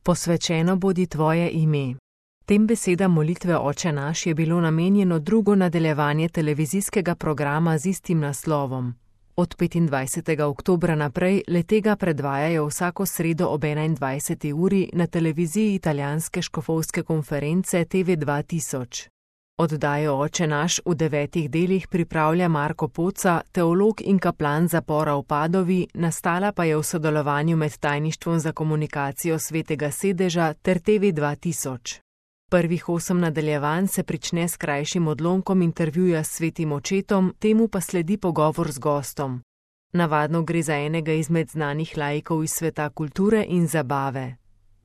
Posvečeno bodi tvoje ime. Tem besedam molitve Oče naš je bilo namenjeno drugo nadaljevanje televizijskega programa z istim naslovom. Od 25. oktobra naprej le-tega predvajajo vsako sredo ob 21. uri na televiziji italijanske škofovske konference TV 2000. Oddajo Oče naš v 9 delih pripravlja Marko Poca, teolog in kaplan zapora v Padovi, nastala pa je v sodelovanju med Tajništvom za komunikacijo Svetega sedeža ter TV 2000. Prvih 8 nadaljevanj se prične s krajšim odlomkom intervjuja s svetim očetom, temu pa sledi pogovor z gostom. Navadno gre za enega izmed znanih laikov iz sveta kulture in zabave.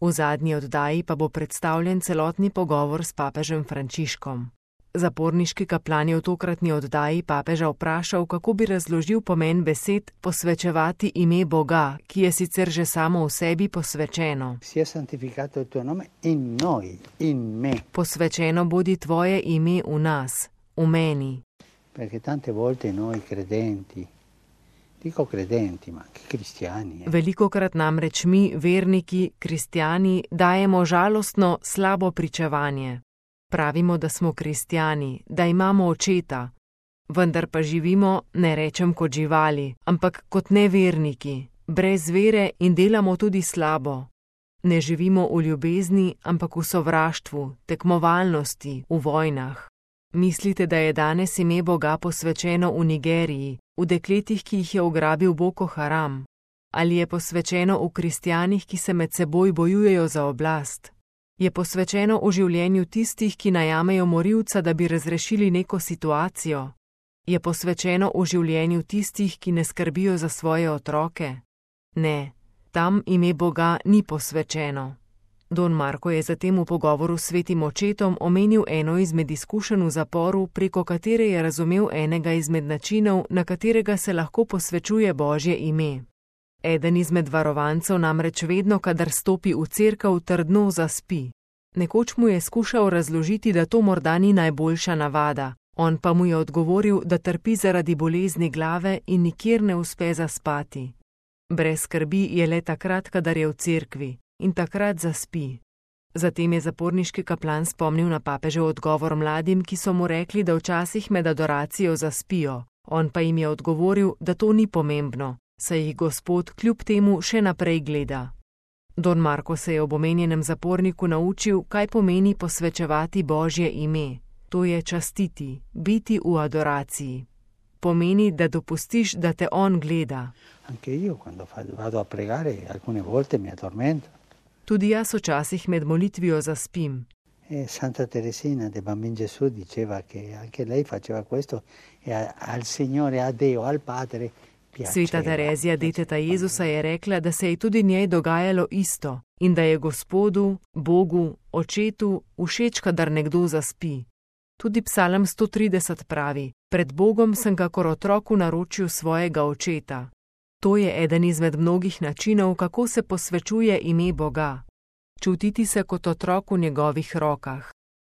V zadnji oddaji pa bo predstavljen celotni pogovor s papežem Frančiškom. Zaporniški kaplan je v tokratni oddaji papeža vprašal, kako bi razložil pomen besed posvečevati ime Boga, ki je sicer že samo v sebi posvečeno. Posvečeno bodi tvoje ime v nas, v meni. Velikokrat namreč mi, verniki, kristjani, dajemo žalostno, slabo pričevanje. Pravimo, da smo kristjani, da imamo očeta, vendar pa živimo, ne rečem kot živali, ampak kot neverniki, brez vere in delamo tudi slabo. Ne živimo v ljubezni, ampak v sovraštvu, tekmovalnosti, v vojnah. Mislite, da je danes ime Boga posvečeno v Nigeriji, v dekletih, ki jih je ugrabil Boko Haram? Ali je posvečeno v kristjanih, ki se med seboj bojujejo za oblast? Je posvečeno v življenju tistih, ki najamejo morilca, da bi razrešili neko situacijo? Je posvečeno v življenju tistih, ki ne skrbijo za svoje otroke? Ne, tam ime Boga ni posvečeno. Don Marko je zatem v pogovoru s svetim očetom omenil eno izmed izkušenj v zaporu, preko katere je razumel enega izmed načinov, na katerega se lahko posvečuje Božje ime. Eden izmed varovancev namreč vedno, kadar stopi v cerkev, trdno zaspi. Nekoč mu je skušal razložiti, da to morda ni najboljša navada, on pa mu je odgovoril, da trpi zaradi bolezni glave in nikjer ne uspe zaspati. Brez skrbi je le takrat, kadar je v cerkvi, in takrat zaspi. Zatem je zaporniški kaplan spomnil na papežev odgovor mladim, ki so mu rekli, da včasih med adoracijo zaspijo, on pa jim je odgovoril, da to ni pomembno, saj jih Gospod kljub temu še naprej gleda. Don Marko se je ob omenjenem zaporniku naučil, kaj pomeni posvečevati Božje ime. To je častiti, biti v adoraciji. Pomeni, da dopustiš, da te on gleda. Tudi jaz včasih med molitvijo zaspim. Santa Teresina de Bambin Gesù diceva che anche lei faceva questo e al Signore, a Dio, al Padre. Sveta Terezija, deteta Jezusa, je rekla, da se je tudi njej dogajalo isto in da je Gospodu, Bogu, Očetu všeč, kadar nekdo zaspi. Tudi Psalm 130 pravi: Pred Bogom sem kakor otrok v naročju svojega očeta. To je eden izmed mnogih načinov, kako se posvečuje ime Boga. Čutiti se kot otrok v njegovih rokah.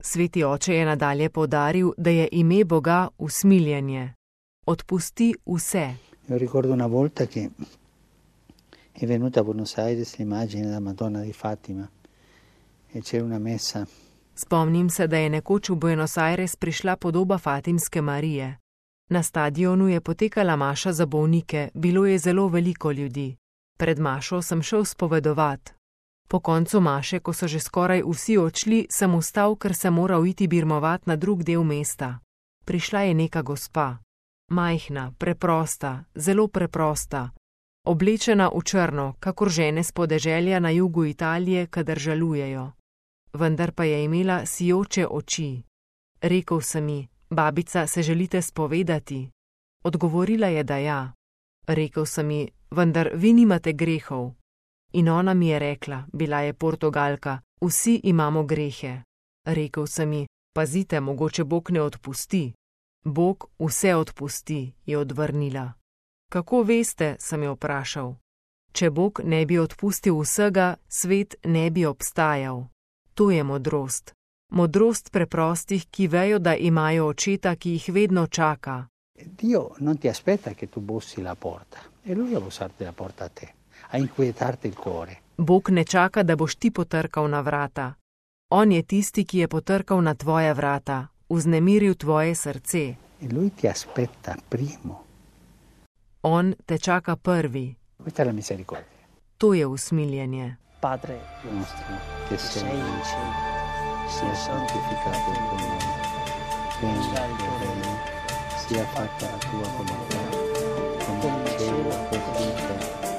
Sveti oče je nadalje poudaril, da je ime Boga usmiljenje. Odpusti vse. Io ricordo una volta che è venuta a Buenos Aires l'immagine della Madonna di Fatima e c'era una messa. Spomnim se, da je nekoč v Buenos Aires prišla podoba Fatimske Marije. Na stadionu je potekala maša za bolnike, bilo je zelo veliko ljudi. Pred mašo sem šel spovedovat. Po koncu maše, ko so že skoraj vsi odšli, sem vstal, ker sem moral iti birmovat na drug del mesta. Prišla je neka gospa. Majhna, preprosta, zelo preprosta. Oblečena v črno, kakor žene s podeželja na jugu Italije, kadar žalujejo. Vendar pa je imela sijoče oči. Rekel sem ji: Babica, se želite spovedati? Odgovorila je, da ja. Rekel sem ji: vendar vi nimate grehov. In ona mi je rekla, bila je Portugalka: vsi imamo grehe. Rekel sem ji: pazite, mogoče Bog ne odpusti. Bog vse odpusti, je odvrnila. Kako veste, sem jo vprašal. Če Bog ne bi odpustil vsega, svet ne bi obstajal. To je modrost. Modrost preprostih, ki vejo, da imajo očeta, ki jih vedno čaka. Dio non ti aspetta che tu bussi la porta, è lui a bussarti la porta a te, a inquietarti il cuore. Bog ne čaka, da boš ti potrkal na vrata. On je tisti, ki je potrkal na tvoja vrata, vznemiril tvoje srce. E lui ti aspetta primo. On te čaka prvi. Questa è la misericordia. To je usmiljenje. Padre Nostro, che sei sei in cielo, sia santificato il tuo nome, venga il tuo regno, sia fatta la tua volontà, come in cielo così in terra.